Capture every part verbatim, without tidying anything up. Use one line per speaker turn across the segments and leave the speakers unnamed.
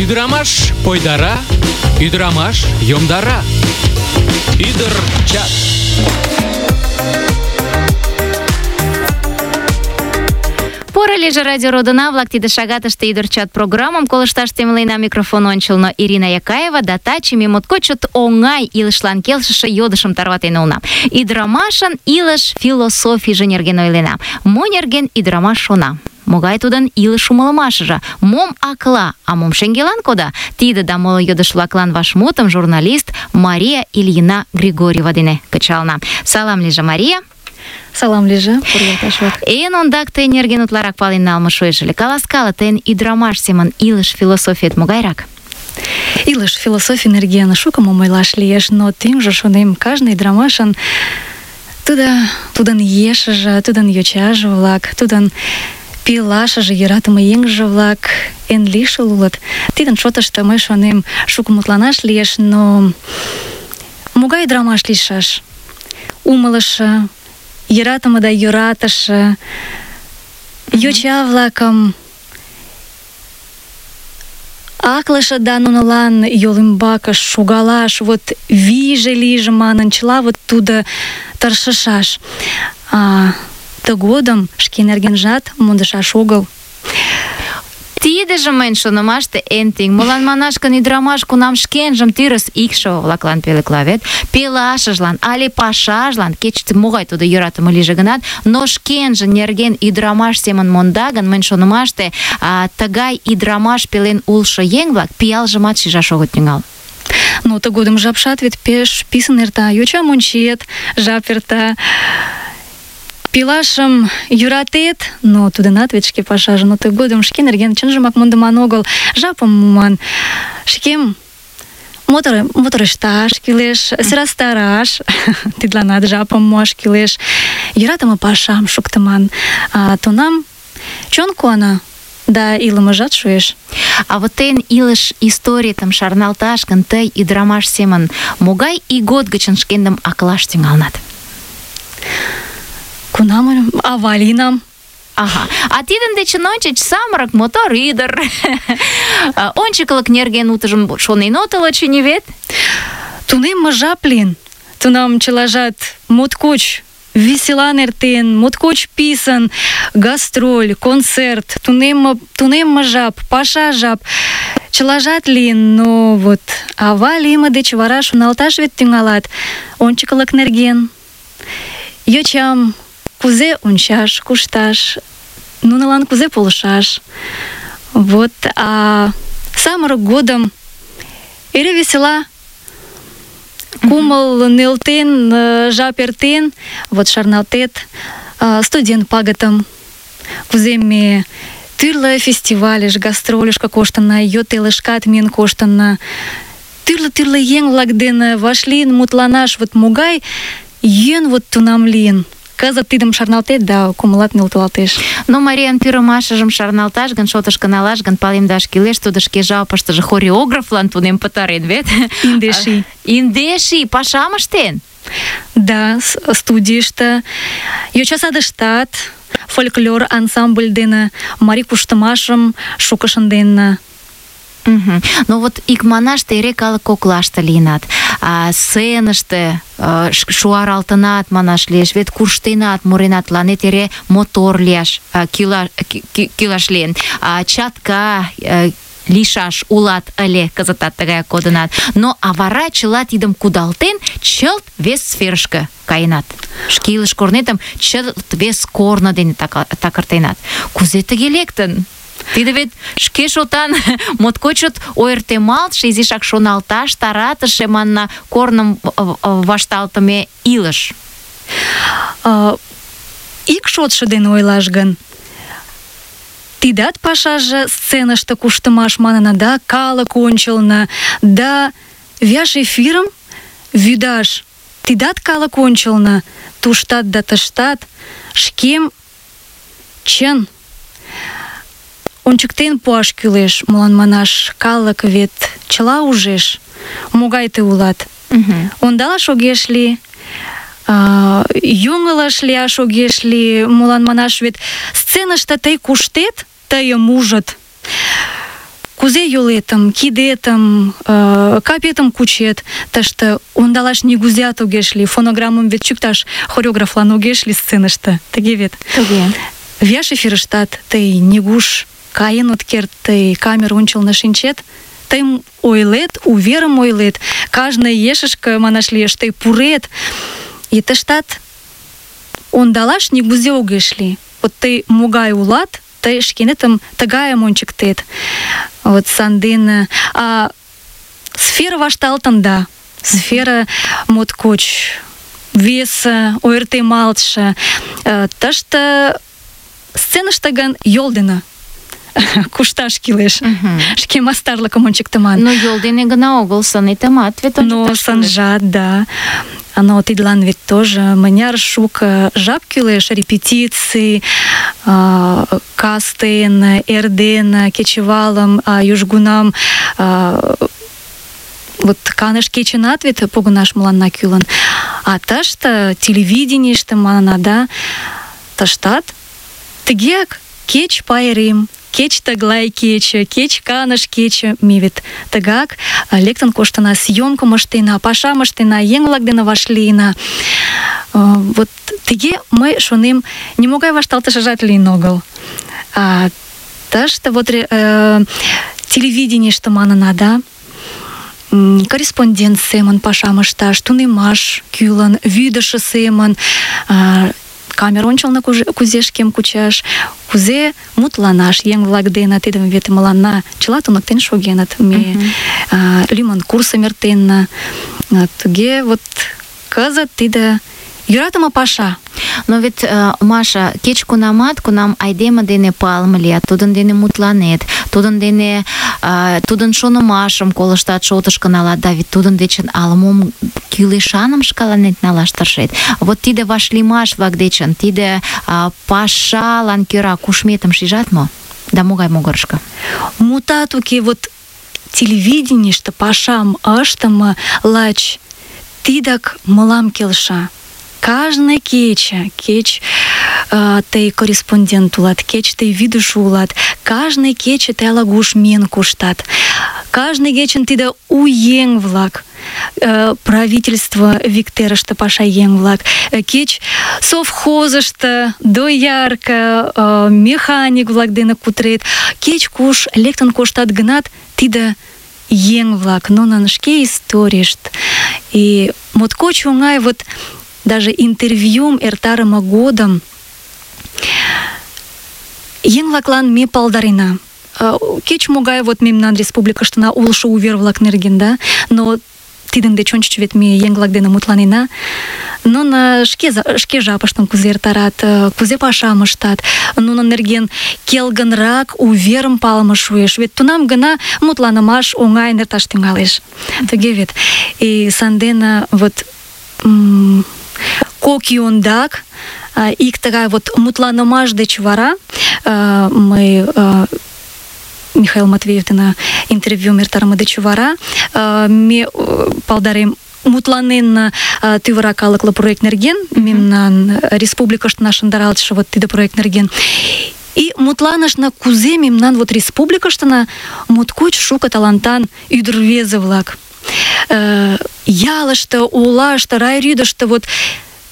Ӱдырамаш пойдара, ӱдырамаш йомдара. Ӱдыр чат.
Поро лийже радио родына-влак, тиде шагатыште ӱдыр чат программым колышташ темлена. Микрофон ончылно Ирина Якаева, да таче ме моткоч чот оҥай илышлан келшыше йодышым тарватен улына. Ӱдырамашын илыш философийже нерген ойлена. Мо нерген ӱдырамаш шона? Могай тудын илыш умылымашыже? Мом акла, а мом шеҥгелан кода? Тиде да моло йодыш-влаклан вашмутым журналист Мария Ильина Григорьева дене кычална. Салам лийже, Мария.
Салам лийже, пургалташ-влак.
Эн ондак тый нерген утларак пален налме шуэш ыле. Каласкале, тыйын ӱдырамаш семын илыш философиет могайрак?
Илыш философий нерген шуко мом ойлаш лиеш, но тӱҥжӧ, шонем, кажне ӱдырамашын тудо, тудын ешыже, тудын йочаже-влак, тудын пелашыже, йӧратыме еҥже-влак эн лишыл улыт. Тидын шотышто мый шонем, шуко мутланаш лиеш, но могай ӱдырамаш лийшаш? Умылышо, йӧратыме да йӧратыше, йоча-влакым аклыше да нунылан йол ӱмбакышт шогалаш, вот вийже лийже манын, чыла вот тудо тыршышаш. А тыгодым шке нергенжат мондышаш огыл.
Тидыже мыйын шонымаште эн тӱҥ. Молан манаш гын, ӱдырамаш кунам шкенжым тӱрыс икшыве-влаклан пӧлекла вет, пелашыжлан але пашажлан, кеч могай тудо йӧратыме лийже гынат, но шкенжын нерген ӱдырамаш семын монда гын, мыйын шонымаште, а, тыгай ӱдырамаш пелен улшо еҥ-влак пиалжымат шижаш огыт тӱҥал.
Но тыгодым жапшат вет пеш писын эрта. Йочам ончет, жап эрта. Пилашым йӧратет, но тудынат вет шке пашаже, но тыгодым шке нерген чынжымак мондыман огыл, жапым муман. Шкем мотор, моторешташ кӱлеш, сӧрастараш, тидланат жапым муаш кӱлеш, йӧратыме пашам шуктыман. А тунам чон куана, да илымыжат шуэш.
А вот тыйын илыш историетым шарналташ гын, тый ӱдырамаш семын могай ийгот гычын шкендым аклаш тӱҥалынат?
Кунам ава лийынам.
Ага. А тидын дечын ончыч самырык мотор ӱдыр. Ончыклык нерген утыжым шонен отыл, очыни вет?
Тунемме жап лийын. Тунам чылажат моткоч веселан эртен, моткоч писын, гастроль, концерт, тунемме, тунемме жап, паша жап, чылажат лийын, но вот ава лийме деч вара шоналташ вет тӱҥалат. Ончыклык нерген. Йочам кузе ончаш, кушташ, нунылан кузе полышаш. Вот, а самырык годым эре весела, кумыл нӧлтен, жап эртен, вот шарналтет студент пагытым, кузе ме тӱрлӧ фестивальыш, гастрольышко коштынна, йот элышкат миен коштынна, тӱрлӧ-тӱрлӧ еҥ-влак дене вашлийын мутланаш, вот могай йӧн вот тунам лийын. Кызыт тидым шарналтет да кумылат нӧлталтеш.
Но Мариян пӱрымашыжым шарналташ гын, шотышко налаш гын, палемдаш кӱлеш, тудо шке жапыштыже хореографлан тунем пытарен вет.
Индеш ий.
Индеш ий пашам ыштен?
Да, студийыште, йоча садыштат фольклор ансамбль дене марий куштымашым шуко шынденна.
Угу. Ну вот икманаште эре калык коклаште лийынат, а сценыште а, шуаралтынат манаш лиеш, вет куштенат, муренат, тыланет эре мотор лияш а, кӱла, кӱ, кӱлаш лийын, а чатка а, лийшаш улат ыле, кызытат тыгаяк кодынат. Но а вара чыла тидым кудалтен, чылт вес сферышке каенат. Шке илыш корнетым чылт вес корно дене такыртенат. Кузе тыге лектын? Тиде вет шке шотан моткоч чот ойыртемалтше, изишак шоналташ таратыше манна корным вашталтыме илыш.
Ик шотшо дене ойлаш гын, тидат пашаже сценыште куштымаш манына, да калык ончылно, да вияш эфирым вӱдаш, тидат калык ончылно, туштат да тыштат, шкем чын ончыктен пуаш кӱлеш, молан манаш, калык вет чыла ужеш, могай тый улат.
Uh-huh.
Ондалаш огеш лий, йоҥылыш лияш огеш лий, молан манаш, вет сценыште тый куштет, тыйым ужыт. кузе йолетым, кидетым, э, капетым кучет, тыште ондалаш нигузеат огеш лий. Фонограммым вет чӱкташ хореографлан огеш лий сценыште. Тыге вет.
Тыге.
Вияш эфирыштат тый нигуш каен от керт, тый камер ончылно шинчет, тый ойлет, уверым ойлет, кажне ешышке, манаш лиеш, тый пурет, и тыштат ондалаш нигузе огеш лий. Вот тый могай улат, тый шкенетым тыгайым ончыктет. Вот санден а сфера вашталтын да. Сфера моткоч весе, ойыртемалтше. Тыште сценыште гын йол дене кушташ кӱлеш. Шке мастарлыкым ончыктыман.
Но йол дене гына огыл, сынетымат вет
Но
ончыкташ
сынжат, да. Но тидлан вет тоже мыняр шуко жап кӱлеш, репетиций, кастен, эрден, кечывалым, южгунам вот каныш кечынат вет погынаш мыланна кӱлын. А тыште телевиденийыште манына, да, тыштат тыгеак кеч пайрем, кеч тыглай кече, кеч каныш кече, ме вет тыгак лектын коштына, съёмкым ыштена, пашам ыштена, еҥ-влак дене вашлийына. Вот тыге мый шонем, нимогай вашталтышыжат лийын огыл. А тыште вот э, телевиденийыште манына, да, корреспондент семын пашам ышташ, тунемаш кӱлын, вӱдышӧ семын, камер ончылно кузе шкем кучаш, кузе мутланаш еҥ-влак дене, тидым вет мыланна чыла туныктен шогеныт. Ме лӱмын курсым эртенна. Туге вот кызыт тиде йӧратыме паша.
Но вет, Маша, кеч-кунамат, кунам айдеме дене палыме лият, тудын дене мутланет, тудын дене тудын шонымашым колыштат, шотышко налат, да вет тудын дечын ала-мом кӱлешаным шкаланет налаш тыршет. Вот тиде вашлиймаш-влак дечын, тиде пашалан кӧра кушметым шижат мо? Да могай могырышко?
Мутат уке, вот телевиденийыште пашам ыштыме лач тидак мылам келша. Кажне кече, кеч э, тый корреспондент улат, кеч тый вӱдышӧ улат, кажне кече тый ала-куш миен коштат. Кажне кечын тиде у еҥ-влак, э, правительство виктерыште паша еҥ-влак, э, кеч совхозышто, доярка, э, механик-влак дене кутырет, кеч куш лектын коштат гынат, тиде еҥ-влак, нунын шке историйышт. И моткоч оҥай вот даже интервьюм эртарыме годым еҥ-влаклан ме палдарена. Кеч-могай вот мемнан республикыштына улшо увер-влак нерген, да, но тидын деч ончыч вет ме еҥ-влак дене мутланена. Нуно шке, шке жапыштым кузе эртарат, кузе пашам ыштат, нунын нерген келгынрак уверым палыме шуэш. Вет тунам гына мутланымаш оҥайын эрташ тӱҥалеш. Тыге вет. И сандене вот кок ий ондак, ик тыгай вот мутланымаш деч вара, мый Михаил Матвеев дене интервьюм эртарыме деч вара, ме палдарем мутланен тӱвырак калыклы проект нерген, мемнан республикыште шындаралтше вот тиде проект нерген. И мутланышна, кузе мемнан вот республикыштына моткоч шуко талантан ӱдыр-рвезе-влак. Ялыште, олаште, райрӱдыштӧ вот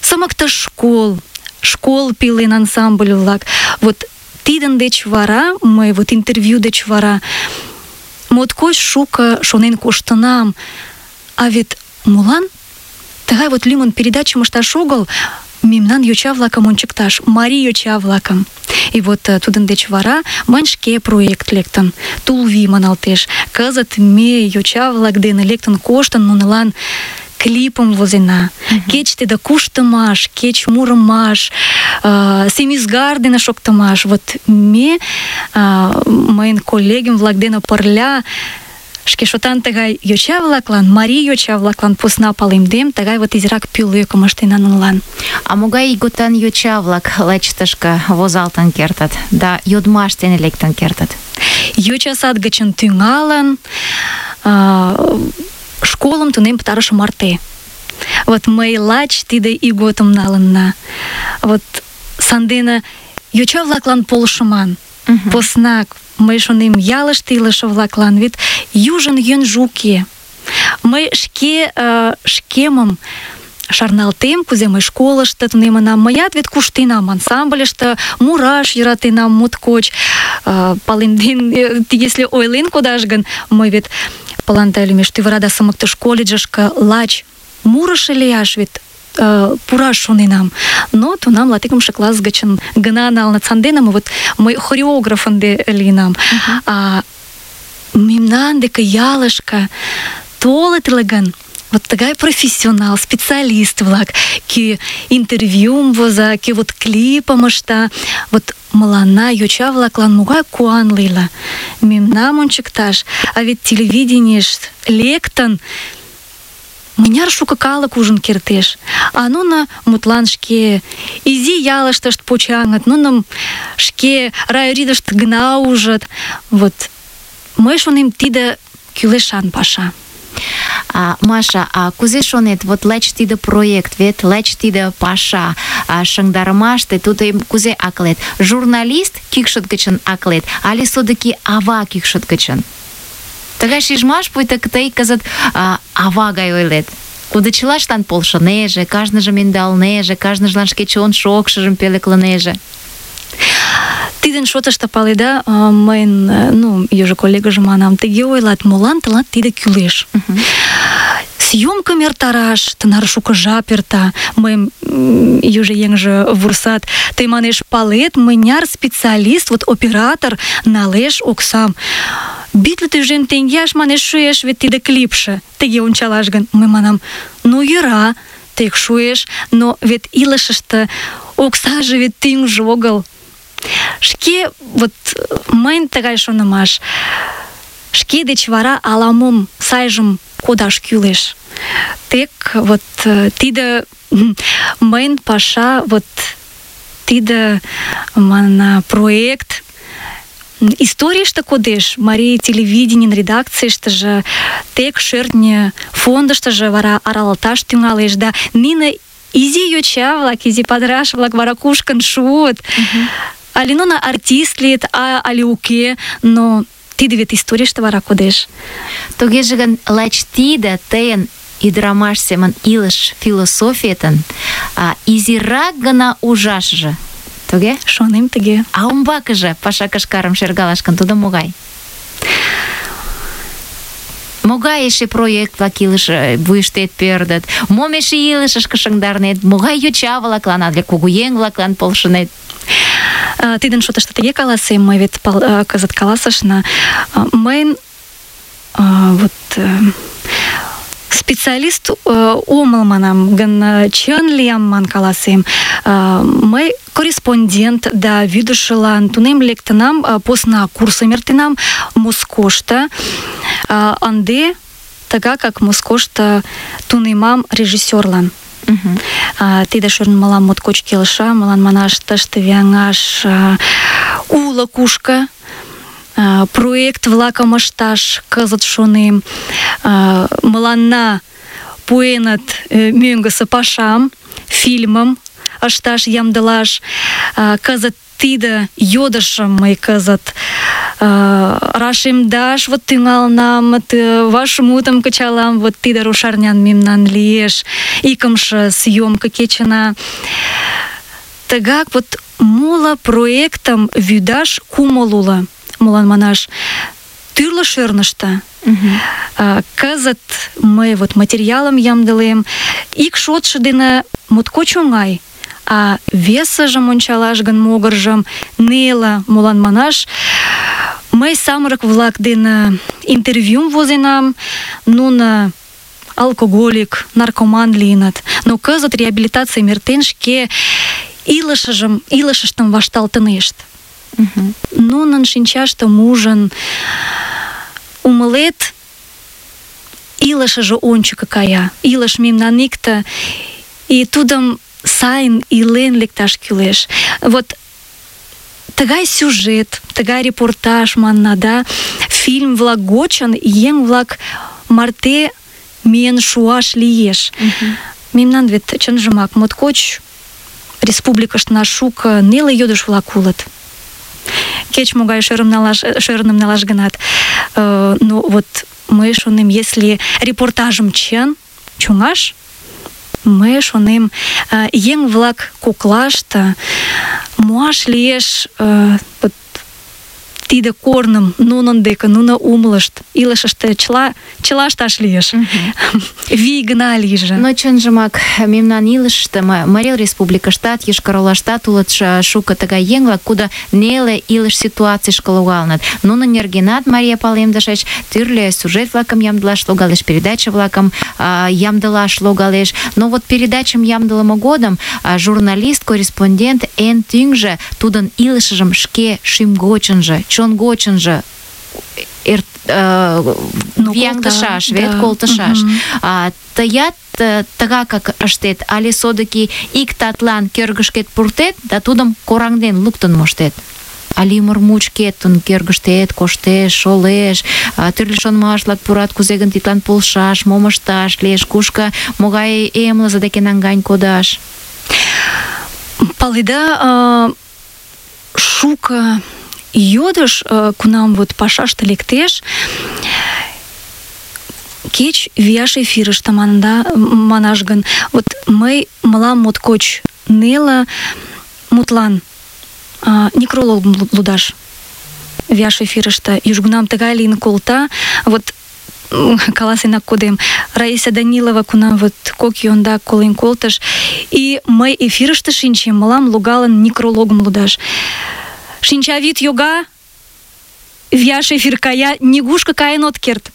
сымыкты школ, школ пелен ансамбль-влак. Вот тидын деч вара, мый вот интервью деч вара моткоч шуко шонен коштынам. А вет молан тыгай вот лӱмын передачым ышташ огыл, мемнан йоча-влакым ончыкташ, марий йоча-влакым. И вот тудын деч вара мыйын шке проект лектын. Тулви маналтеш. Кызыт ме йоча-влак дене лектын коштын, нунылан клипым возена. Uh-huh. Кеч тиде куштымаш, кеч мурымаш, э, семизгар дене шоктымаш. Вот ме, э, мыйын коллегем-влак дене пырля шке шотан тыгай йоча-влаклан, марий йоча-влаклан посна палемдем, тыгай вот изирак пӧлекым ыштена нунылан.
А могай ийготан йоча-влак лач тышке возалтын кертыт, да йодмаш дене лектын кертыт?
Йоча сад гычын тӱҥалын, э, школым тунем пытарыше марте. Вот мый лач тиде ийготым налынна. Вот сандене йоча-влаклан полшыман. Uh-huh. Поснак мый шонем, ялыште илыше-влаклан вет южын йӧнжӧ уке. Мый шке э, шкемым шарналтем, кузе мый школышто тунемынам. Мыят вет куштенам ансамбльыште, мураш йӧратенам моткоч. Э, палемден, э, если ойлен кодаш гын, мый вет паланта лӱмеш Тӱвырада сымыктыш колледжышке лач мурышо лияш вет Uh, пураш шоненам. Но тунам латикымше класс гычын гына налыныт. Сандене вот мый хореограф ынде лийынам. Uh-huh. А мемнан деке ялышке толыт ыле гын, вот тыгай профессионал, специалист-влак, кӧ интервьюм воза, кӧ вот клипым ышта, вот мыланна, йоча-влаклан, могай куан лийла. Мемнам ончыкташ, а вет телевидениеш лектын, мыняр шуко калык ужын кертеш. А нуно мутлан шке изи ялыштышт почаҥыт, нуным шке райридышт гына ужыт. Вот мый шонем, тиде кӱлешан паша.
А, Маша, а кузе шонет, вот лач тиде проект, вет лач тиде паша, а, шыҥдарымаште тудым кузе аклет? Журналист кӱкшыт гычын аклет, але содыки ава кӱкшыт гычын? Тыгай шижмаш, пуйто тый кызыт а, ава гай ойлет. Кудо чылаштлан полшынеже, кажныжым ӧндалнеже, кажныжлан шке чон шокшыжым пӧлеклынеже.
Тидын шотышто, паледа, мыйын, ну, южо коллегыже манам, тыге ойлат, молан тылат тиде кӱлеш? Uh-huh. Съёмкым эртараш тынар шуко жап эрта. Мыйым южо еҥже вурсат, тый, манеш, палет, мыняр специалист, вот оператор налеш оксам. Битле тӱжем теҥгеаш, манеш, шуэш вет тиде клипше. Тыге ончалаш гын, мый манам, ну йӧра, тек шуэш, но вет илышыште оксаже вет тӱҥжӧ огыл. Шке, вот мыйын тыгай шонымаш, шке деч вара ала-мом сайжым кодаш кӱлеш. Тек вот тиде мыйын паша, вот тиде мана проект историйыште кодеш. Марий телевиденийын редакцийыштыже, тек шӧртньӧ фондыштыжо вара аралалташ тӱҥалеш, да нине изи йоча-влак, изи падыраш-влак вара кушкын шуыт. Uh-huh. Але нуно артист лийыт, а але уке, но тиде вет историйыште вара кодеш.
Тугеже гын, лач тиде тыйын ӱдырамаш семын илыш философиетын а, изирак гына ужашыже. Туге?
Шонем тыге.
А умбакыже паша кышкарым шергалаш гын, тудо могай? Могай эше проект-влак илыш вуйыштет пӧрдыт? Мом эше илышышке шыҥдарнет? Могай йоча-влаклан, але кугуеҥ-влаклан полшынет?
Тидын шотышто тыге каласем, мый вет кызыт каласышна. Мыйын вот специалист омыл манам гын, чын лиям ман каласем. Мый корреспондент да вӱдышылан тунем лектынам, посна курсым эртенам Москошто. Ынде тыгакак Москошто тунемам режиссёрлан. Uh-huh. Uh, тиде шӧртньӧ мылам моткоч келша, мылан манаш тыште вяҥаш uh, уло кушко uh, проект-влакым ышташ кызыт шонем. Uh, мыланна пуэныт uh, мӧҥгысӧ пашам, фильмым ышташ ямдылаш. Uh, кызыт тиде йодышым мый кызыт Uh, рашемдаш вот тӱҥалынам, вашмутым кычалам, вот тиде рушарнян мемнан лиеш, икымше съёмка кечына. Тыгак вот моло проектым вӱдаш кумыл уло. Молан манаш, тӱрлӧ шӧрныштӧ. Uh-huh. Uh, кызыт мый вот материалым ямдылем, ик шотшо дене моткоч оҥай, а весыжым ончалаш гын могыржым неле. Молан манаш, мый самырык-влак дене интервьюм возенам, нуно алкоголик, наркоман лийыныт. Но кызыт реабилитацийым эртен шке илышыжым, илышыштым вашталтынешт. Uh-huh. Нунын шинчаштым ужын, умылет, илышыже ончыко кая, илыш мемнан икте, и тудым сайын илен лекташ кӱлеш. Вот тыгай сюжет, тыгай репортаж манна, да, фильм-влак гочын еҥ-влак марте миен шуаш лиеш. Uh-huh. Мемнан вет чынжымак моткоч республикыштына шуко неле йодыш-влак улыт. кеч-могай шӧрым налаш, шӧрным налаш гынат. Э, ну, вот мый шонем, если репортажым чын чоҥаш, мый шонем, э, еҥ-влак коклаште муаш лиеш э, вот, тиде корным нунын деке, нуно умылышт, илышыште чыла, чыла ышташ лиеш. Вий гына лийже.
Но чынжымак мемнан илышыште, Марий Республикыштат, Йошкар-Олаштат улыт шуко тыгай еҥ-влак, кудо неле илыш ситуацийышке логалыныт. Нунын нергенат, Мария, палемдышыч, тӱрлӧ сюжет-влакым ямдылаш логалеш, передача-влакым а, ямдылаш логалеш. Но вот передачым ямдылыме годым а, журналист, корреспондент эн тӱҥжӧ тудын илышыжым шке шӱм-гочынжо, чон гочынжо эр, э,
ну,
вияҥдышаш,
колта,
вет
да.
колтышаш.
Мгм.
А, тыят э, тыгакак ыштет, але содыки ик татлан кӧргышкет пуртет да тудым кораҥден луктын моштет. Але ӱмыр мучкет тудын кӧргыштет коштеш, шолеш, а, тӱрлӧ шонымаш-влак пурат, кузе гын тидлан полшаш, мом ышташ лиеш, кушко, могай эмлызе деке наҥгайын кодаш.
Паледа, э, шуко йодыш, э, кунам вот пашаште лектеш, кеч вияш эфирыште манда, манаш гын, вот мый мылам моткоч неле мутлан э, некрологым лудаш вияш эфирыште. Южгунам тыгай лийын колта, вот каласенак кодем, Раиса Данилова кунам вот кок ий ондак колен колтыш, и мый эфирыште шинчем, мылам логалын некрологым лудаш. Шинчавӱд йога, вияш эфир кая, нигушко каен от керт.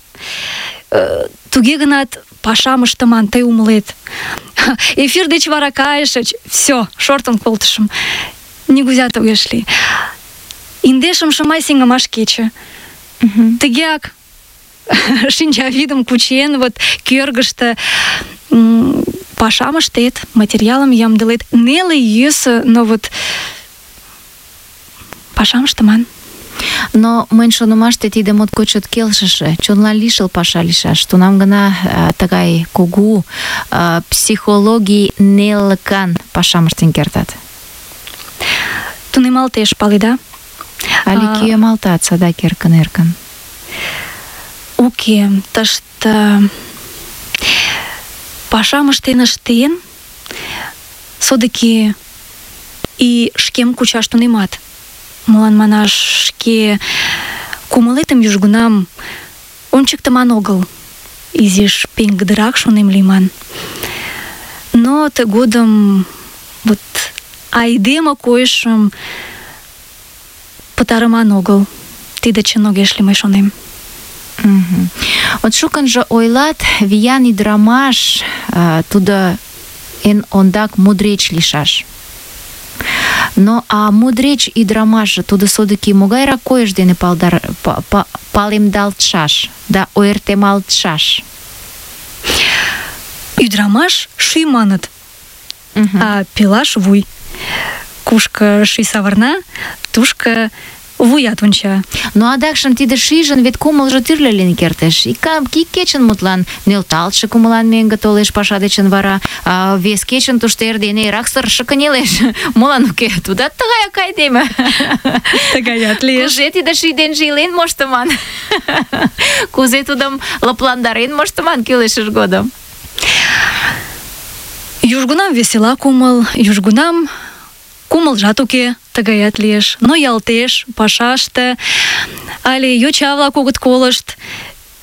Э, туге гынат пашам ыштыман, тый умылет. Эфир деч вара кайышыч, всё, шортын колтышым. Нигузят огеш лий. Индешымше май сеҥымаш кече. Тыгеак шинчавӱдым кучен, вот кӧргыштӧ м, пашам ыштет, материалым ямдылет. Неле, йӧсӧ, но вот пашам ыштыман.
Но мыйын шонымаште тиде моткоч чот келшыше, чонлан лишыл паша лийшаш. Тунам гына а, тыгай кугу а, психологий нелылыкан пашам ыштен кертат.
Тунемалтеш, паледа?
Але
А,
кӱэмалтат садак эркын-эркын.
Уке, тыште пашам ыштен ыштен, содыки и шкем кучаш тунемат. Молан манаш, шке кумылетым южгунам ончыктыман огыл. Изиш пеҥгыдырак шонем лийман. Но тыгодым вот айдеме койышым пытарыман огыл. Тиде чын огеш лий, мый шонем.
Мгм. Вот шукынжо ойлат, виян ӱдырамаш а, тудо эн ондак мудреч лийшаш. Но а мудреч ӱдырамашже тудо содыки могайрак койыш дене палдар, па, па, палемдалтшаш да ойыртемалтшаш?
Ӱдырамаш шӱй маныт,
Мгм.
а пелаш вуй. Кушко шӱй савырна, тушко вуят онча.
Но адакшым тиде шижын вет кумылжо тӱрлӧ лийын кертеш. Ик, ик кечын мутлан нӧлталтше кумылан мӧҥгӧ толеш паша дечын вара, а вес кечын тушто эрдене эрак сырыше кынелеш. Молан уке? Тудат тыгаяк айдеме.
Тыгаят лиеш.
Кузе тиде ший денже илен моштыман? Кузе тудым лыпландарен моштыман кӱлешыж годым?
Южгунам весела кумыл, южгунам кумылжат уке, тыгаят лиеш. Ноялтеш пашаште, але йоча-влак огыт колышт.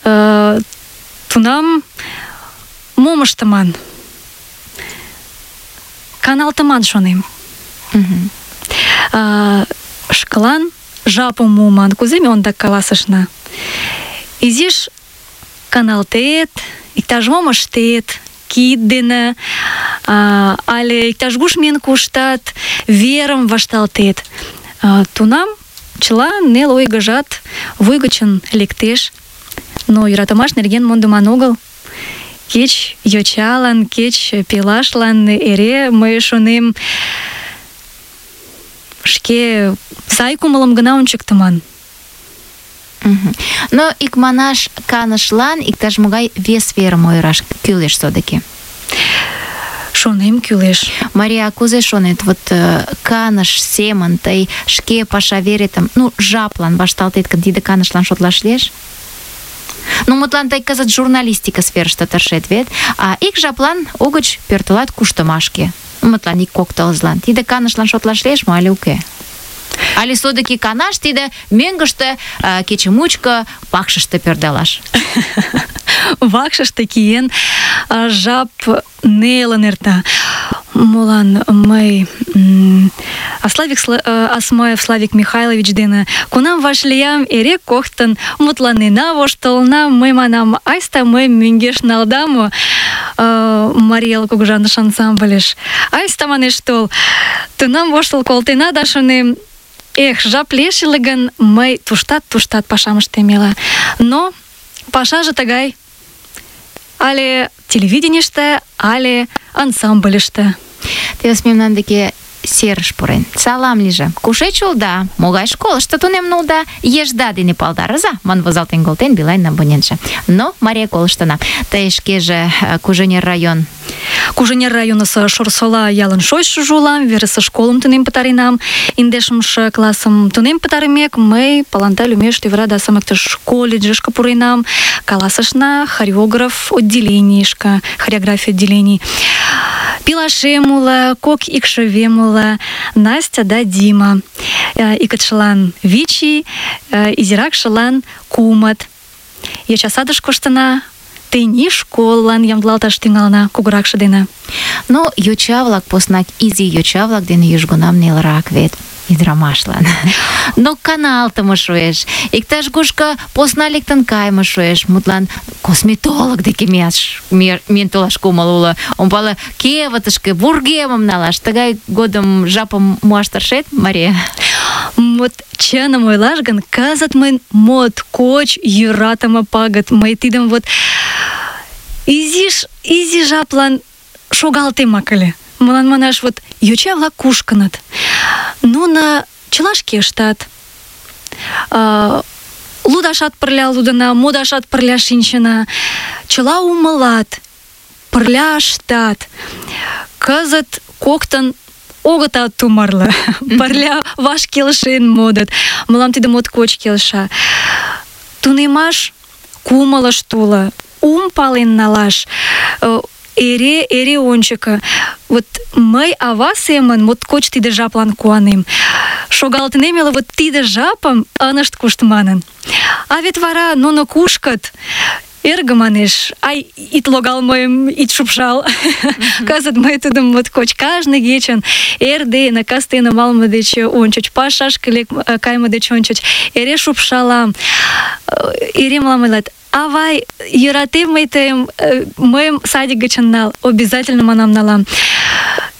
Э, тунам мом ыштыман? Каналтыман шонем.
Мгм.
А, шкалан жапым муыман, кузе ме ондак каласышна. Изиш каналтет, иктаж-мом ыштет, кид дене, а, але иктаж-куш миен коштат, верым вашталтет. А, тунам чыла нел ойгыжат вуй гычын лектеш. Но йӧратымаш нерген мондыман огыл. Кеч йочалан, кеч пелашлан эре мый шонем, шке сай кумылым гына ончыктыман.
Мгм. Но икманаш канышлан иктаж-могай вес верым ойыраш кӱлеш содыки.
шонем кӱлеш.
Мария, кузе шонет, вот э, каныш семын тый шке паша веретым, ну, жаплан вашталтет гын, тиде канышлан шотлаш лиеш? Ну, мутлан тый кызыт журналистика сферыште тыршет вет, а ик жаплан угыч пӧртылат куштымашке. Мутлан ик-кок тылзылан. Тиде канышлан шотлаш лиеш мо але уке? Але содыки канаш тиде мӧҥгыштӧ э, кече мучко вакшыште пӧрдалаш?
Вакшыште киен, а жап нелын эрта. Молан мый м, а Славик Сла- а, Асмаев Славик Михайлович дене кунам вашлиям, эре коктын мутланена, воштылына, мый манам, айста мый мӧҥгеш налда мо а, Мариял кугыжаныш ансамбльыш. Айста манеш тол. Тунам воштыл колтена да шонем, эх, жап лиеш ыле гын, мый туштат-туштат пашам ыштемела. Но пашаже тыгай. Але телевиденийыште, але ансамбльыште.
Тевс мемнан деке серыш пурен. Салам лийже. Кушеч улда? Могай школышто тунемын улда? Ешда дене палдарыза, ман возалтен колтен Билайн абонентше. Но Мария колыштына. Тый шкеже э, Куженер район.
Куженер районысо Шорсола ялын шочшыжо улам, верысе школым тунем пытаренам. Индешымше классым тунем пытарымек, мый Паланта лӱмеш тӱвыра да сымыктыш колледжышке пуренам. Каласышна хореограф отделенийышке, хореография отделений. Пилашем уло, кок икшывем уло, Настя да Дима. Э, Икытшылан Вичи, э, изиракшылан Кумыт. Йочасадыш коштына, тений школлан ямдылалташ тӱҥалына кугуракше дене.
Но йоча-влак поснак изи йоча-влак дене южгунам нелырак вет. Ӱдырамашлан. Но каналтыме шуэш. Иктаж-кушко посна лектын кайыме шуэш. Мутлан косметолог деке мияш, миен толаш кумыл уло. Ом пале, кевытышке вургемым налаш. Тыгай годым жапым муаш тыршет, Мария?
Вот чыным ойлаш гын, кызыт мыйын моткоч йӧратыме пагыт. Мый тидым вот изиш, изи жаплан шогалтемак ыле. Молан манаш, вот йоча-влак кушкыныт. Нуно чыла шке ыштат. А, лудашат пырля лудына, модашат пырля шинчына. Чыла умылат, пырля ыштат. Кызыт коктын огытат тумарле. Пырля ваш келшен модыт. Мылам тиде моткоч келша. Тунемаш кумылышт уло, ум пален налаш. Эре, эре ончыко. Вот мый ава семын моткоч тиде жаплан куанем. Шогалтынем ыле вот тиде жапым ынышт кушт манын. А вет вара нуно кушкыт. Эргым манеш, ай, ит логал мыйым, ит шупшал. Кызыт мый тудым моткоч кажне кечын эрдене, кастене малыме деч ончыч, пашашке лек кайыме деч ончыч эре шупшалам. Эре мылам ойлат: авай, йӧратем мый тыйым, мыйым садик гычын нал, обязательно манам налам.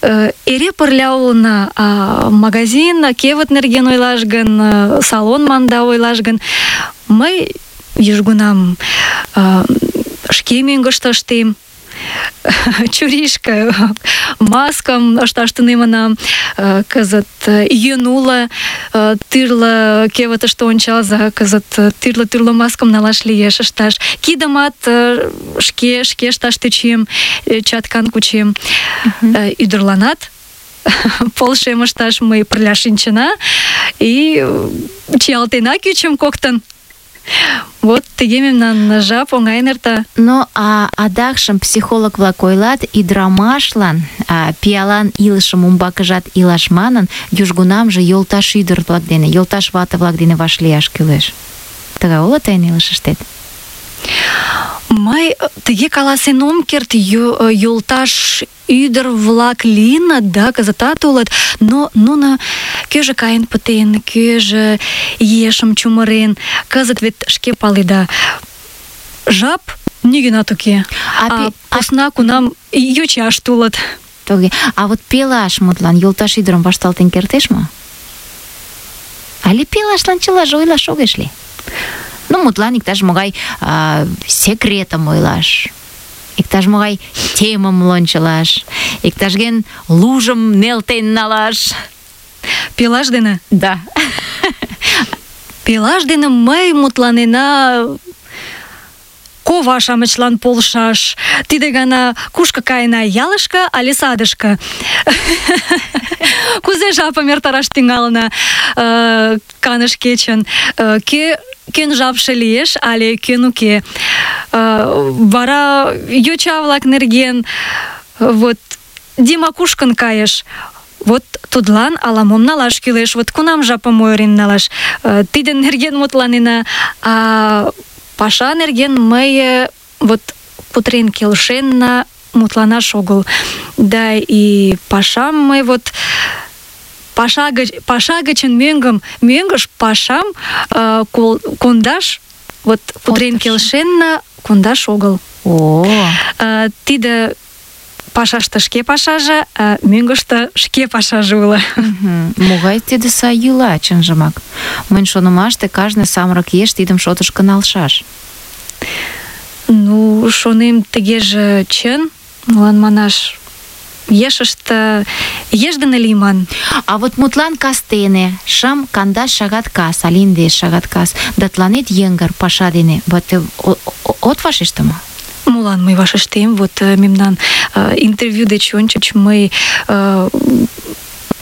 Эре пырля улына, а магазин, кевыт нерген ойлаш гын, салон манда ойлаш гын, мый южгунам шке мӧҥгыштӧ ыштем. Чуришке, маскам ышташ тунемынам. Кызыт йӧн уло, тӱрлӧ кевытыште ончалза, кызыт тӱрлӧ-тӱрлӧ маскым налаш лиеш ышташ. Кидымат шке шке ышташ тӧчем, чаткан кучем. Ӱдырланат полшем ышташ мый пырля шинчына и чиялтена кӱчым коктын. Вот тыге мемнан жап оҥайын эрта.
Но а адакшым психолог-влак ойлат, ӱдырамашлан а, пиалан илышым умбакыжат илаш манын, южгунамже йолташ ӱдыр-влак дене, йолташ вате-влак дене вашлияш кӱлеш. Тыгай уло тыйын илышыштет?
Мый тыге каласен ом керт, йолташ ӱдыр-влак лийыныт, да, кызытат улыт, но нуно кӧжӧ каен пытен, кӧжӧ ешым чумырен. Кызыт вет шке паледа, жап нигӧнат уке.
А,
А
пе-
посна кунам йочашт улыт.
Тоге. А вот пелаш мутлан йолташ ӱдырым вашталтен кертеш мо? Але пелашлан чылаже ойлаш огеш лий? Ну, мутлан иктаж-могай а, секретым ойлаш, иктаж-могай темым лончылаш, иктаж-ген лужым нелтен налаш.
Пелаш дене?
Да.
Пелаш дене мый мутланена кова-шамычлан полшаш. Тиде гана кушко каена, ялышке але садышке? Кузе жапым эртараш тӱҥалына э, каныш кечын? Э, кӧ кӧн жапше лиеш але кӧн уке? Э, вара йоча-влак нерген вот Дима кушкын кайыш? Вот тудлан ала-мом налаш кӱлеш. Вот кунам жапым ойырен налаш? Э, тидын нерген мутланена. А паша нерген мый вот кутырен келшенна мутланаш огыл. Да и пашам мый вот паша гыч паша гычын мӧҥгым мӧҥгыш пашам э, кондаш вот кутырен келшенна кондаш огыл.
О,
Э, тиде пашаште шке пашаже, а мӧҥгыштӧ шке пашаже уло.
мгм. Могай тиде сай йӱла, чынжымак. Мыйын шонымаште кажне самырык еш тидым шотышко налшаш.
Ну, шонем, тыгеже чын, молан манаш, ешыште еш дене лийман.
А вот мутлан кастене, шым кандаш шагат кас, але индеш шагат кас, да тыланет йыҥгыр паша дене. Вот э, о- о- от вашеште мо?
Молан мый вашештем, вот э, мемнан э, интервью деч ончыч мый э,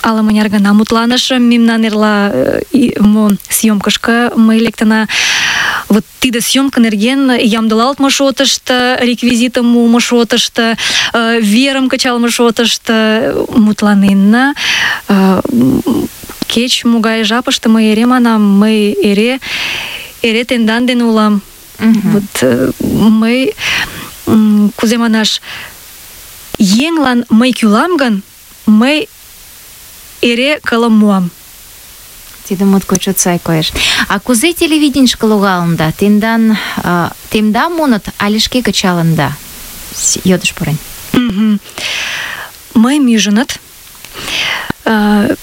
ала-мыняр гана мутланышым, мемнан эрла э, и- мо съёмкышко мый лектына. Вот тиде съёмка нерген ямдылалтме шотышто, реквизитым мумо шотышто, э, верым кычалме шотышто мутланенна. Э, кеч могай жапыште мый эре манам, мый эре эре тендан дене улам.
Мгм.
Вот э, мый м, кузе манаш, еҥлан мый кӱлам гын, мый эре кылым муам.
Тиде моткоч чот сай коеш. А кузе телевиденийышке логалында? Тендан а, темда муыныт але шке кычалында? С- Йодыш пурен.
Мгм. Мый мӱжыныт. Э,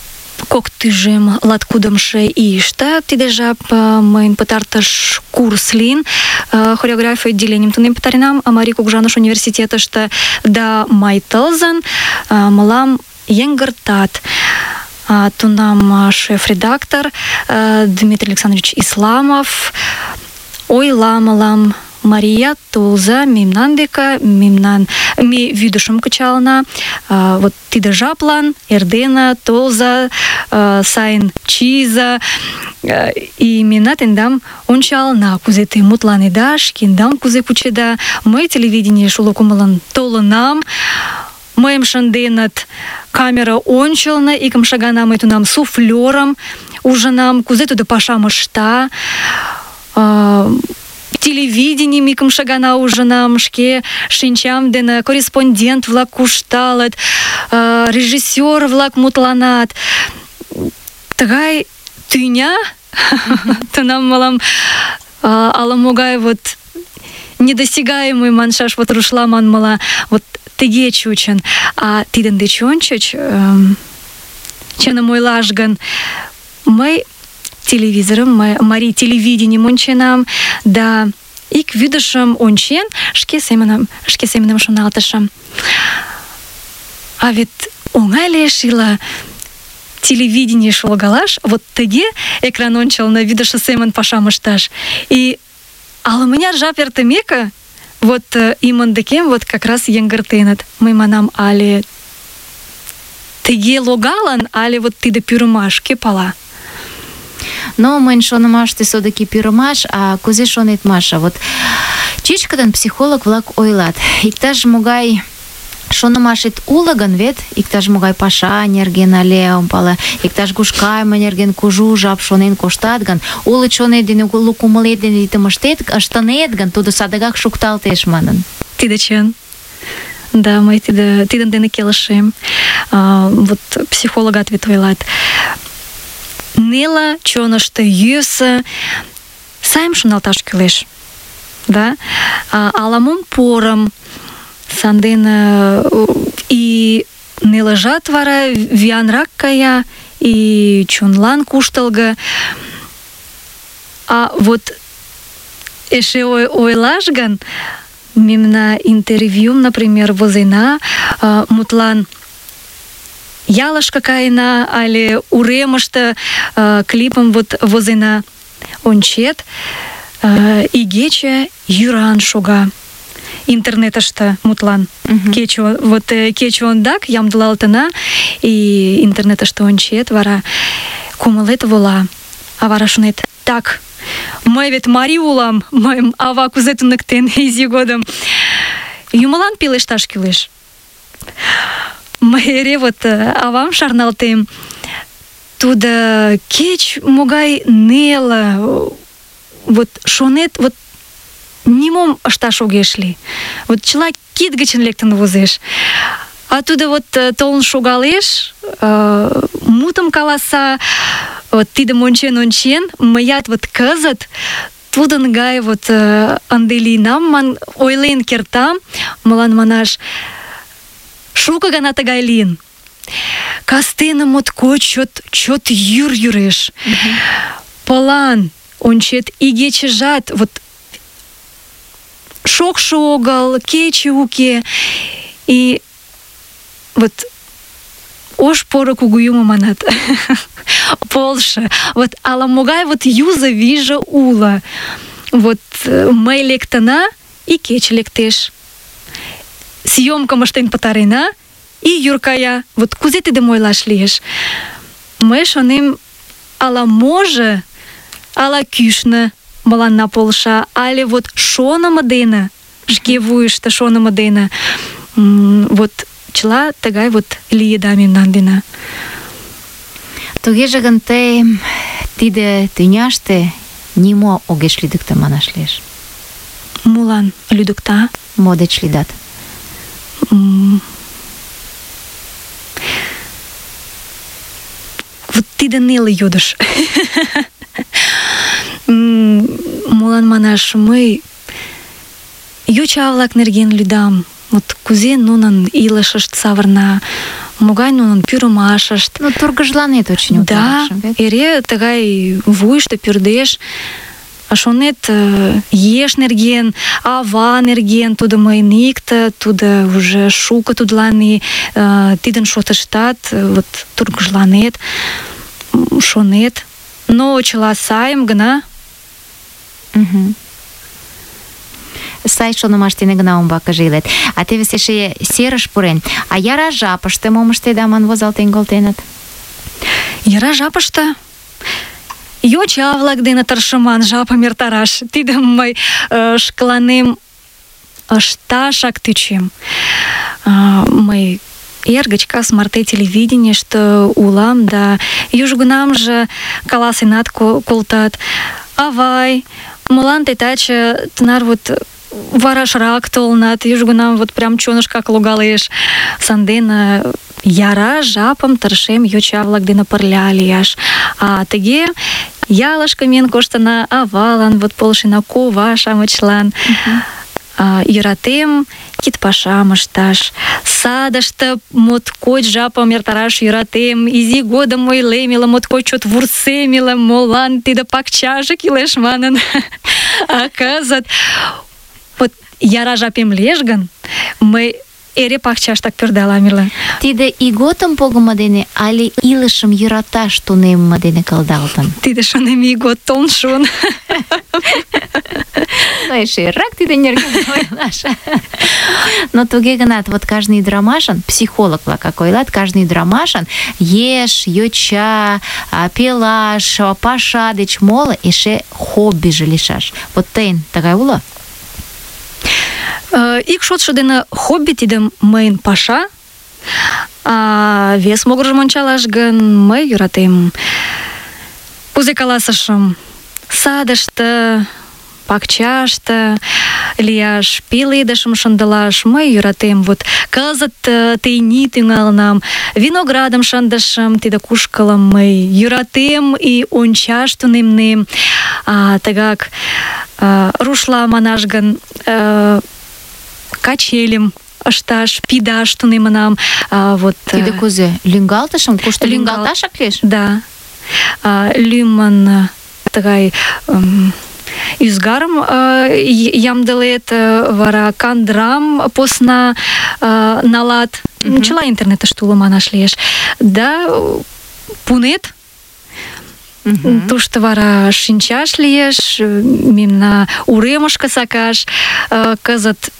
Кок тӱжем латкудымшо ийыште тиде жап э, мыйын пытартыш курс лийын. Э, Хореография отделенийым тунем пытаренам Марий Кугыжаныш университетыште. Да май тылзын э, мылам йыҥгыртат. А тунам э, шеф-редактор э, Дмитрий Александрович Исламов ойла мылам: Мария, толза мемнан деке, мемнан ме вӱдышым кычалына. А, вот тиде жаплан эрдене толза, а, сайын чийза, а, и мемна тендам ончалына, кузе те мутланеда, шкендам кузе кучеда. Мый телевиденийыш уло кумылын толынам. Мыйым шынденыт камера ончылно, икымше гана мый тунам суфлёрым ужынам, кузе тудо пашам ышта. А, телевиденийым икымше гана ужынам, шке шинчам дене корреспондент-влак кушталыт, э, режиссёр-влак мутланат. Тыгай тӱня тунам мылам э, ала-могай вот недосягаемый маншаш, вот рушла манмыла, вот тыге чучын. А тидын деч ончыч, э, чыным ойлаш гын, мый телевизорым, мый марий телевиденийым онченам, да ик вӱдышым ончен, шке семынем, шке семынем шоналтышым. А вет оҥай лиеш ила телевиденийыш логалаш, вот тыге экран ончылно вӱдышӧ семын пашам ышташ. И ала-мыняр жап эртымеке, вот э, имын декем вот как раз йыҥгыртеныт. Мый манам, але тыге логалын, але вот тиде пӱрымаш, кӧ пала.
Но мыйын шонымаште содыки пӱрымаш, а кузе шонет, Маша? Вот чӱчкыдын психолог-влак ойлат, иктаж могай шонымашет уло гын, вет иктаж могай паша нерген але ом пале, иктаж гуш кайме нерген кужу жап шонен коштат гын, уло чонет дене, уло кумылет дене тидым ыштет, ыштынет гын, тудо садыгак шукталтеш манын.
Тиде чын. Да, мый тиде, тидын дене келшем. А, вот психологат вет ойлат. Неле чонышто йӧсӧ, сайым шоналташ кӱлеш. Да? А, ала-мом порым, сандене и нелыжат вара виянрак кая, и чонлан куштылго. А вот эше ой, ойлаш гын, мемна интервьюм, например, возена, а, мутлан ялышке каена, але уремыште а, клипым вот возена, ончет, э, игече йӱран шога. Интернетыште, мутлан.
Мгм.
Кече, вот э, кече ондак ямдылалтына, и интернетыште ончет, вара кумылет вола. А вара шонет, так, мый вет марий улам, мыйым ава кузе туныктен изи годым. Юмылан пелешташ кӱлеш. Мый эре вот э, авам шарналтем. Тудо кеч могай неле, вот шонет, вот нимом ышташ огеш лий. Вот чыла кид гычын лектын возеш. А тудо вот э, толын шогалеш, э, мутым каласа, вот тидым ончен-ончен, мыят вот кызыт тудын гай вот э, ынде лийынам ман ойлен кертам, мылан манаш шуко гана тыгай лийын. Кастене моткоч чот, чот йӱр йӱреш. Пылан ончет игечыжат вот шокшо огыл, кече уке. И вот ош поро кугу юмо манат. Полша. Вот ала-могай вот юзо вийже уло. Вот э, мый лектына, и кече лектеш. Съёмкым ыштен пытарена, и йӱр кая. Вот кузе тидым ойлаш лиеш? Мый шонем, ала-можо, ала кӱшнӧ мыланна полша, але вот шонымо дене, шке вуйышто шонымо дене, м, вот чыла тыгай вот лиеда мемнан дене.
Тугеже гын тый тиде тӱняште нимо огеш лӱдыктӧ манаш лиеш.
Молан лӱдыкта?
Мо деч лӱдат?
М, Вот тиде неле йодыш. М, Молан манаш, мый йоча-влак нерген лӱдам. Вот кузе нунын илышышт савырна, могай нунын пӱрымашышт.
Ну, тургыжланет очень
Да,
утларакшым, вет?
эре тыгай вуйышто пӱрдеш. А шонет, э, еш нерген, ава нерген, тудо мыйын икте, тудо уже шуко тудлан и э, тидын шотыштат э, вот тургыжланет, м, шонет. Но чыла сайым гына.
Мгм. Сай шонымаш дене гына умбакыже илет. А теве эше серыш пурен. А яра жапыште мом ыштеда ман возалтен колтеныт?
Яра жапыште йоча-влак дене тыршыман жапым эртараш. Тидым мый э, шкаланем ышташак тӱчем. А, мый эр гыч кас марте телевиденийыште улам, да южгунамже каласенат ко- колтат: авай, молан тый таче тынар вот варашрак толынат? Южгунам вот прям чонышкак логалеш. Сандене яра жапым тыршем йоча-влак дене пырля лияш. А тыге ялышке миен коштына, авалан вот полшена, кова-шамычлан. А, йӧратем кид пашам ышташ. Садыште моткоч жапым эртараш йӧратем. Изи годым ойлем иле, моткоч чот вурсем иле, молан тиде пакчаже кӱлеш манын. А кызыт вот яра жапем лиеш гын, мый эре пакчаштак пӧрдалам иле.
Тиде ийготым погымо дене але илышым йӧраташ тунемме дене кылдалтын?
Тиде шонем ийгот толын шуын.
Ну, эшерак тиде нерген ойлаш. Но туге гынат, вот кажне ӱдырамашын, психолог-влак ойлат, кажне ӱдырамашын еш, йоча, а, пелаш, а, паша деч моло эше хоббиже лийшаш. Вот тыйын тыгай уло?
Э, Ик шотшо дене хобби тиде мыйын паша, а вес могыржым ончалаш гын, мый йӧратем, кузе каласышым, садыште, пакчаште лияш, пеледышым шындылаш мый йӧратем. Вот кызыт э, тений тӱҥалынам, виноградым шындышым, тиде кушкылым мый йӧратем и ончаш тунемнем. А, тыгак э, рушла манаш гын, э, качельым ышташ, пидаш тунемынам. А, вот, э,
Тиде кузе? Лӱҥгалтышым? Кушто
Лӱҥгал-
лӱҥгалташак лиеш?
Да. А, лӱмын э, тыгай эм, ӱзгарым э, й- ямдылет, э, вара кандрам посна э, налат.
Мгм.
Чыла интернетыште уло манаш лиеш. Да, э, пунет, Мгм. Тушто вара шинчаш лиеш, мемна уремышке сакаш, э, кызыт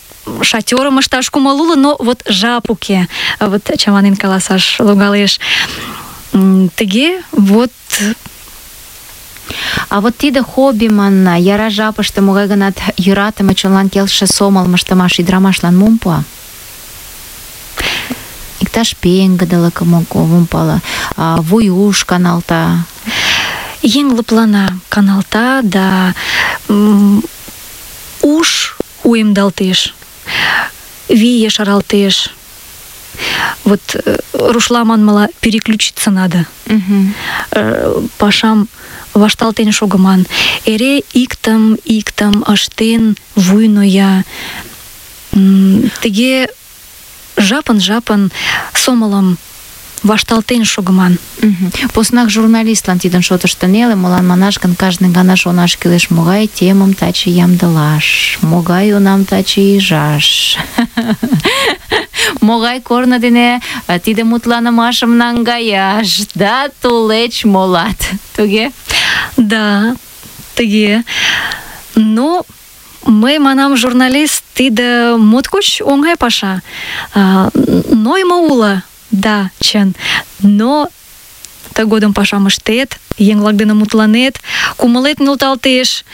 шатёрым ышташ кумыл уло, но вот жап уке. Вот чаманен каласаш логалеш. М, Тыге вот.
А вот тиде хобби манна, яра жапыште могай гынат йӧратыме чонлан келше сомылым ыштымаш ӱдырамашлан мом пуа? Иктаж пеҥгыдылыкым ом пале, а, вуйуш каналта.
Еҥ лыплана, каналта да м, уш уэмдалтеш, вий ешаралтеш. Вот э, рушла манмыла переключиться надо.
Мгм.
Э, Пашам вашталтен шогыман. Эре иктым, иктым ыштен вуй ноя. М, Тыге жапын-жапын сомылым вашталтен шогыман.
Мгм. Поснак журналистлан тидын шотышто неле, молан манаш гын кажне гана шонаш кӱлеш, могай темым таче ямдылаш, могай унам таче ӱжаш, могай корно дене а, тиде мутланымашым наҥгаяш, да тулеч молат. Туге?
Да, тыге. Но мый манам, журналист, тиде моткоч оҥай паша. А, Ноймо уло, да, чын. Но тыгодым пашам ыштет, еҥ-влак дене мутланет, кумылет нӧлталтеш,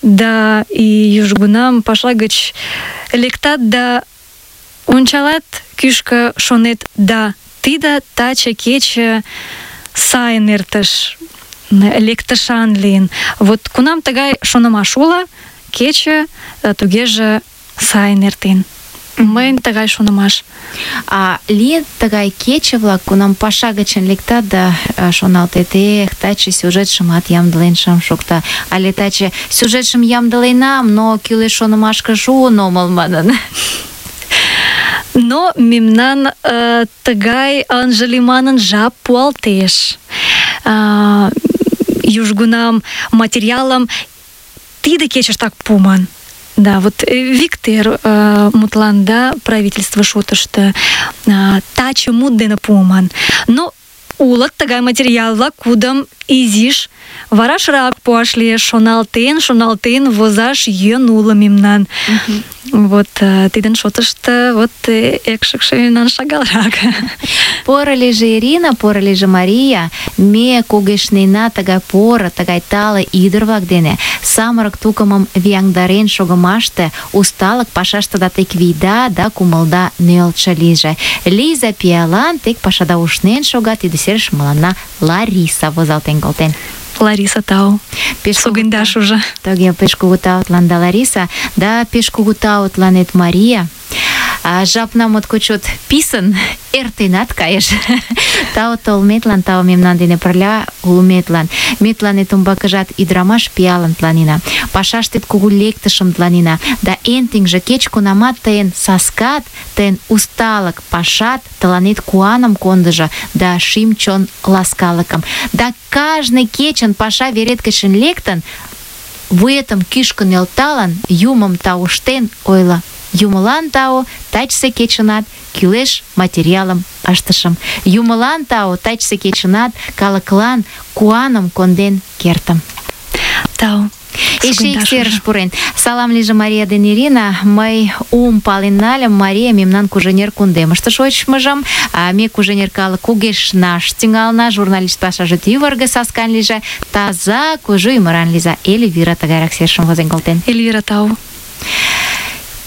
да и южгунам паша гыч лектат да ончалат кӱшкӧ, шонет, да тиде таче кече сайын эртыш, лектышан лийын. Вот кунам тыгай шонымаш уло, кече э, тугеже сайын эртен. Мыйын тыгай шонымаш.
А лийыт тыгай кече-влак, кунам паша гычын лектат да а, шоналтет, эх, таче сюжетшымат ямдылен шым шокта, але таче сюжетшым ямдыленам, но кӱлеш шонымашке шуын омыл манын.
Но мемнан э, тыгай ынже лий манын жап пуалтеш. А, южгунам материалым тиде кечыштак пуыман. Да, вот э, Виктор э, мутланда правительство шотышто э, таче мут дене пуыман. Но улыт тыгай материал-влак, кудым изиш варашрак пуаш лиеш, шоналтен, шоналтен возаш йӧн уло мемнан. Вот э, тидын шотышто вот э, экшыкше мемнан шагалрак.
Поро лийже Ирина, поро лийже Мария, ме кугешнена тыгай поро, тыгай тале ӱдыр-влак дене самырык тукымым вияҥдарен шогымаште усталык пашаштыда тек вийда да кумылда нӧлтшӧ лийже. Лийза пиалан, тек пашада ушнен шога, тиде серыш мыланна Лариса возалтен колтен.
Лариса, тау.
Пеш кугу
Сугындаш уже.
Тоге пеш кугу таутланда Лариса, да пеш кугу таутланет Мария. А, жапна моткоч чот писын эртенат кайыш. Тау толметлан, тау мемнан дене пырля улметлан. Ме тыланет умбакыжат ӱдырамаш пиалым тыланена, пашаштет кугу лектышым тыланена, да эн тӱҥжӧ кеч кунамат тыйын саскат, тыйын усталык пашат тыланет куаным кондыжо да шӱм-чон ласкалыкым. Да кажне кечын паша верет гычын лектын, вуетым кӱшкӧ нӧлталын, юмым тауштен ойло: Юмылан тау, тачысе кечынат кӱлеш материалым ыштышым. Юмылан тау, тачысе кечынат калыклан куаным конден кертым.
Тау.
Эше ик серыш пурен. Салам лийже Мария ден Ирина. Мый ум пален нальым, Мария мемнан Куженер кундемыште шочмыжым, а ме Куженер калык кугешнаш тӱҥална, журналист пашаже тӱвыргӧ саскан лийже, таза, кужу ӱмыран лийза. Эльвира тыгайрак серышым возен колтен.
Эльвира, тау.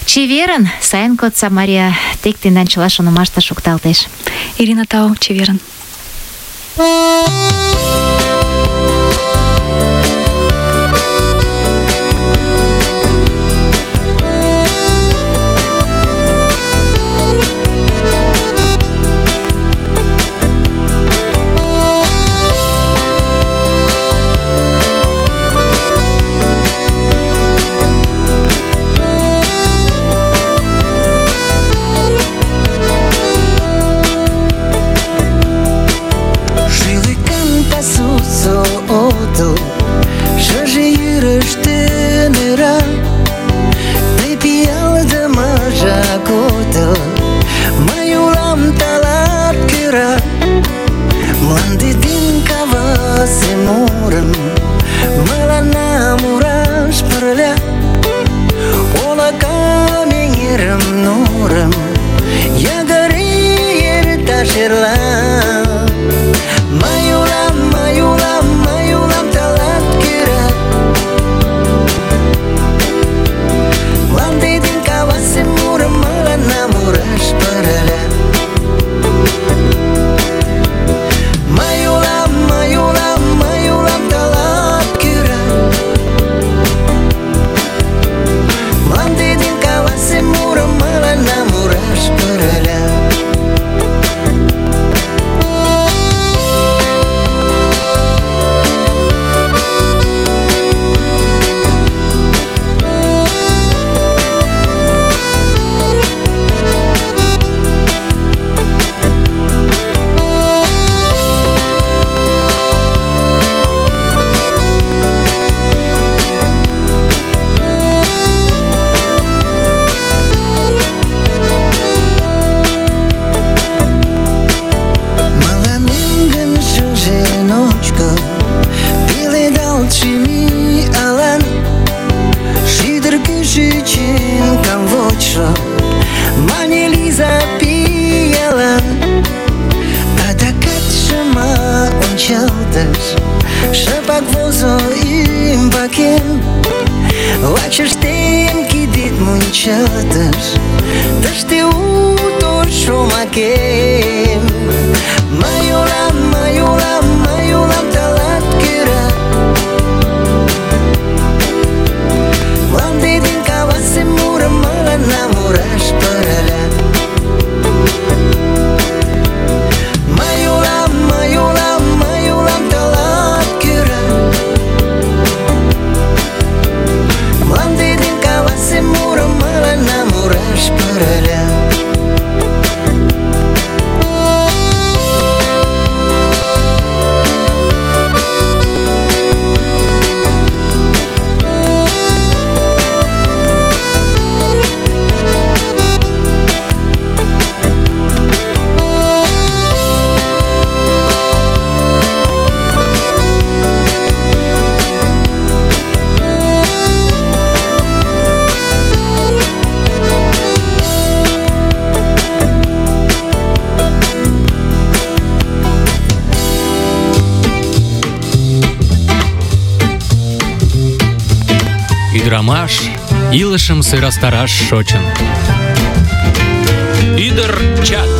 Чеверын, сайын кодса, Мария, тек тендан чыла шонымаште шукталтеш.
Ирина, тау, чеверын.
Mlandi din kava se mu мурым мыланна мураш пырля, олакам эҥерым нурым ягыре эрташ эрла. Мый улам, мый улам, мый улам тылат кӧра. Мланде ден кавасе мурым мыланна мураш пырля. Мый улам, мый улам, мый улам тылат кӧра. Мланде ден кавасе мурым мыланна мураш пырля. Шыпак возо ӱмбакем, вачыштем кидет мунчалтыш, тыште уто шомакем. Мый улам, мый улам, мый улам тылат кӧра. Мланде ден кавасе мурым мыланна мураш пырля. Мый улам, мый улам, мый улам тылат кӧра. Мланде ден кавасе мурым мыланна мураш пырля.
Ӱдырамаш илышым сӧрастараш шочын. Ӱдыр чат.